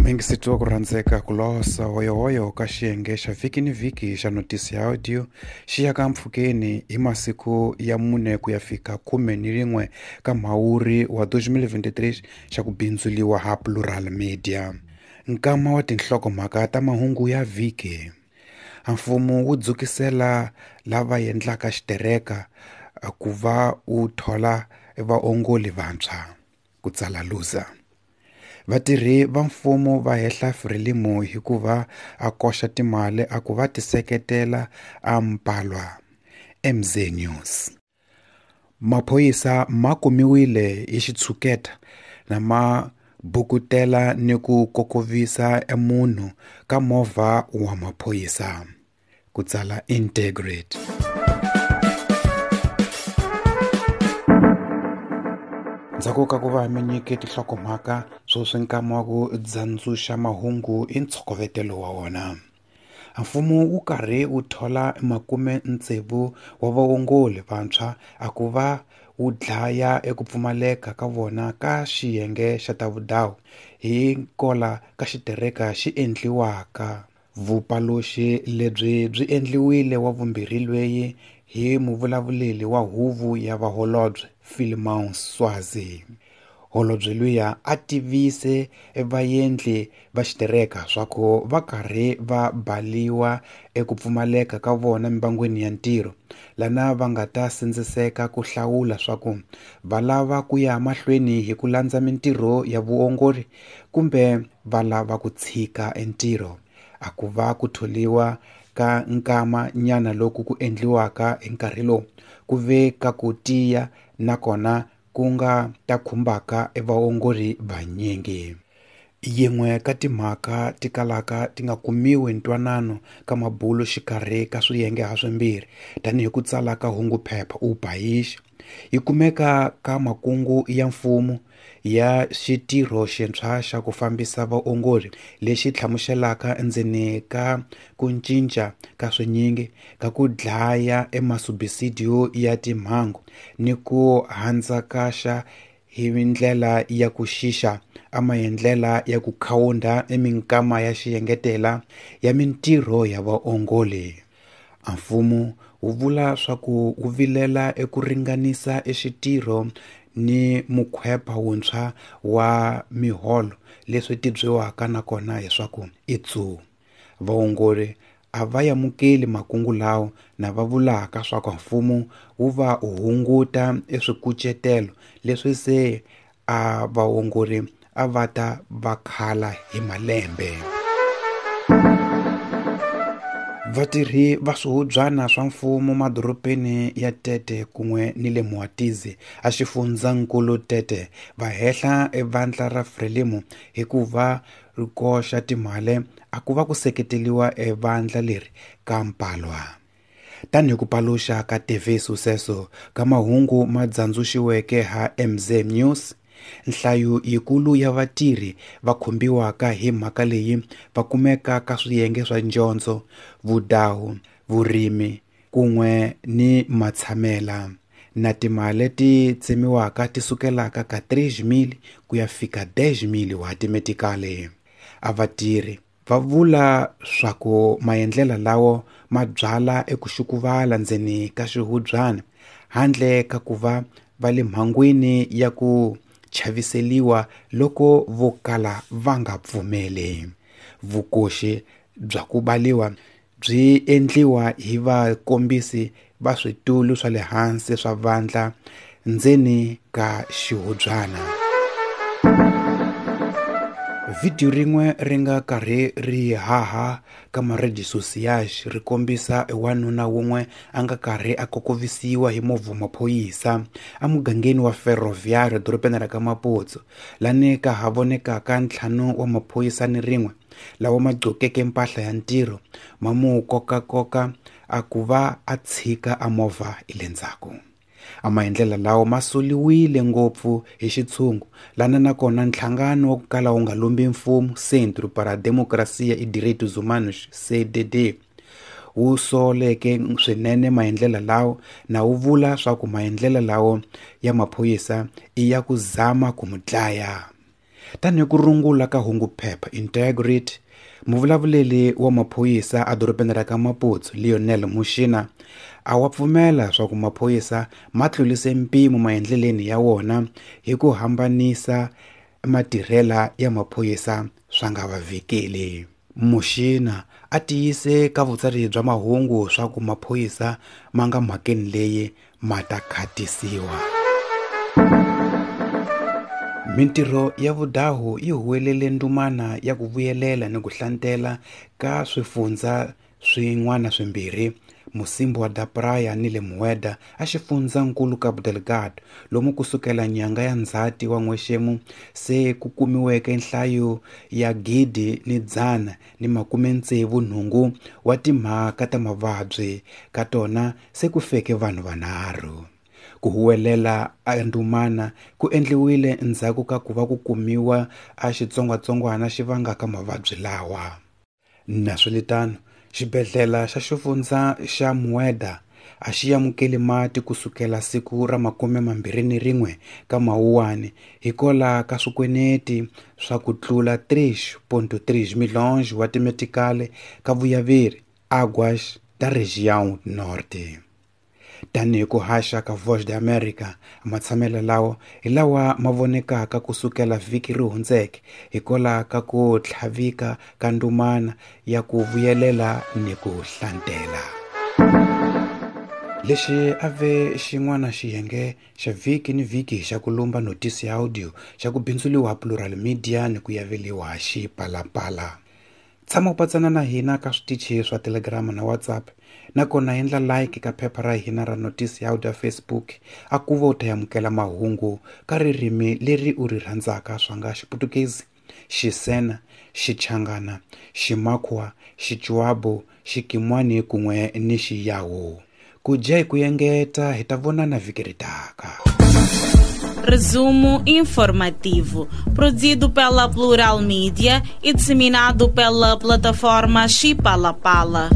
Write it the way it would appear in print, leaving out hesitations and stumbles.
Muyingiseti wa ku rhandzeka ku losa hoyohoyo ka xiyenge xa vhiki ni vhiki xa notisi ya audio xi ya ka mpfhukeni hi masiku ya 4 ku ya fika 11 ka Mhawuri wa 2023 xa ku bindzuliwa ha Plural Media. Nkama wa tinhlokomhaka ta mahungu ya vhiki. Mfumo wu dzukisela lava endlaka xitereka ku va wu thola vaongoli vantshwa, ku tsala Lusa. Vatirhi va mfumo va hehla Frelimo hi ku va a koxa timali a ku va tiseketela a mpalwa. MZ News. Maphorisa ma kumiwile hi xitshuketa na ma bukutela ni ku kokovisa munhu ka movha wa maphorisa, ku tsala Integrate. Ndzhaku ka ku va mi nyike tinhlokomhaka sweswi nkama wa ku dzandzuxa mahungu i ntshokovetelo wa wona. Mfumo wu karhi wu thola 60 wa vaongoli vantshwa a ku va wu dlaya eku pfumaleka ka vona ka xiyenge xa ta vudawu hi kola ka xitereka xi endliwaka. Vupaluxi lebyi byi endliwile wa vumbirhi lweyi hi muvulavuleri wa huvo ya vaholobye Philemon Swazi. Holobye luya a tivise vaendli va xitereka swa ku va karhi va baliwa eku pfumaleka ka vona mibangwini ya ntirho, lana va nga ta sindziseka ku hlawula swa ku va lava ku ya mahlweni hi ku landza mintirho ya vuongori kumbe va lava ku tshika entirho. A ku va ku tholiwa ka nkama nyana loku ku endliwaka hi nkarhi lowu ku ve ka ku tiya nakona ku nga ta khumbaka evaongori vanyingi. Yin'we ka timhaka ti kalaka ti nga kumiwi ntwanano ka mabulo xikarhi ka swiyenge ha swimbirhi tanihi ku tsala ka hunguphepha u País yi kumeka ka makungu ya mfumo ya xitirho xintshwa xa ku fambisa vaongori lexi hlamuselaka endzeni ka ku cinca ka swinyingi ka ku dlaya emasubisidio ya timhangu ni ku handzakaxa hi ndlela ya ku xixa a maendlela ya ku khawunda eminkama ya xiyengetela ya mintirho ya vaongoli. Mfumo wu vula swa ku wu vilela eku ringanisa exitirho ni mukhwepha wuntshwa wa miholo leswi tibyiwaka nakona hiswaku i tsu. Vaongori a va amukeli makungu lawo na va vulaka swa ku mfumo wu va hunguta eswikucetelo leswi se a vaongori a va ta va khala hi malembe. Vatirhi va swihubyana swa mfumo madorobeni ya Tete kun'we ni le Moatize a xifundzankulu Tete va hehla evandla ra Frelimo hikuva ri koxa timali a ku va ku seketeriwa evandla leri ka mpalwa. Tanihi ku paluxa ka TV Sucesso ka mahungu ma dzandzuxiweke ha MZ News, nhlayo yikulu ya vatirhi va khumbiwaka hi mhaka leyi va kumeka ka swiyenge swa dyondzo, vudawu, vurimi kun'we ni matshamela na timali leti tsemiwaka ti sukelaka ka 3,000 ku ya fika 10,000 wa timetikali. A vatirhi va vula swa ku maendlela lawo ma byala eku xukuvala ndzeni ka xihubyana handle ka ku va va le mhangwini ya ku chaviseliwa loko vo kala va nga pfumeli. Vukoxi bya ku baliwa byi endliwa hi vakombisi va switulu swa le hansi swa vandla ndzeni ka xihubyana. Vhidiyo rin'we ri nga karhi ri haha ka ma-redes sociais ri kombisa wanuna wun'we a nga karhi a kokovisiwa hi movha maphorisa emugangeni wa Ferroviário dorobeni ra ka Maputo, lani ka ha vonekaka 5 wa maphorisa ni rin'we lawa ma gqokeke mpahla ya ntirho ma mu kokakoka a ku va a tshika a movha hi le ndzhaku. A maendlela lawa ma soliwile ngopfu hi xitshungu lana nakona nhlangano wa ku kala wu nga lombi mfumo Centro para a Democracia e Direitos Humanos CDD wu soleke swinene maendlela lawo na wu vula swa ku maendlela lawo ya maphorisa i ya ku zama ku mu dlaya. Tanihi ku rungula ka hunguphepha Integrity, muvulavuleri wa maphorisa edorobeni ra ka Maputo Lionel Muxina a wa pfumela swa ku maphorisa ma tlulise mpimo maendleleni ya wona hi ku hambanisa matirhela ya maphorisa swa nga va vhikeli. Muxina a tiyise ka vutsari bya mahungu swa ku maphorisa ma nga mhakeni leyi ma ta khatisiwa. Mintirho ya vudahu yi huwelele ndumana ya ku vuyelela ni ku hlantela ka swifundza swin'wana swimbirhi, Mocímboa da Praia ni le Mueda a xifundzankulu Cabo Delgado, lomu kusukela nyanga ya Ndzhati wa n'wexemu se ku kumiweke nhlayo ya 1,168 wa timhaka ta mavabyi, ka tona se ku feke vanhu vanharhu. Ku huwelela a ndumana ku endliwile endzhaku ka ku va ku kumiwa a xitsongwatsongwana xi vangaka mavabyi lawa. Naswilitano, xibedhlele xa xifundza xa Mueda a xi amukeli mati kusukela siku ra 21 ka Mawuwani hikwalaho ka swikweneti swa ku tlula 3.3 milhões wa timetikali ka vuyaveri Águas da Região Norte. Tanihi ku haxa ka Voz de América, matshamelo lawa hi lawa ma vonekaka kusukela vhiki ri hundzeke hikwalaho ka ku tlhavika ka ndumana ya ku vuyelela ni ku hlantela. Lexi a ve xin'wana xiyenge xa vhiki ni vhiki xa ku lumba notisi ya audio xa ku bindzuriwa Plural Media ni ku yaveliwa Xipalapala. Tshama u patsana na hina ka switichi swa Telegram na WhatsApp, nakona endla like ka phepha ra hina ra notisi ya audio Facebook a ku va u ta amukela mahungu ka ririmi leri u ri rhandzaka swa nga Xiputukezi, Xisena, Xichangana, Ximakhwa, Xichuabo, Xikimwani kun'we ni Xiyawu. Ku dya hi ku engeta hi ta vonana vhiki ri taka. Resumo informativo, produzido pela Plural Mídia e disseminado pela plataforma Xipalapala.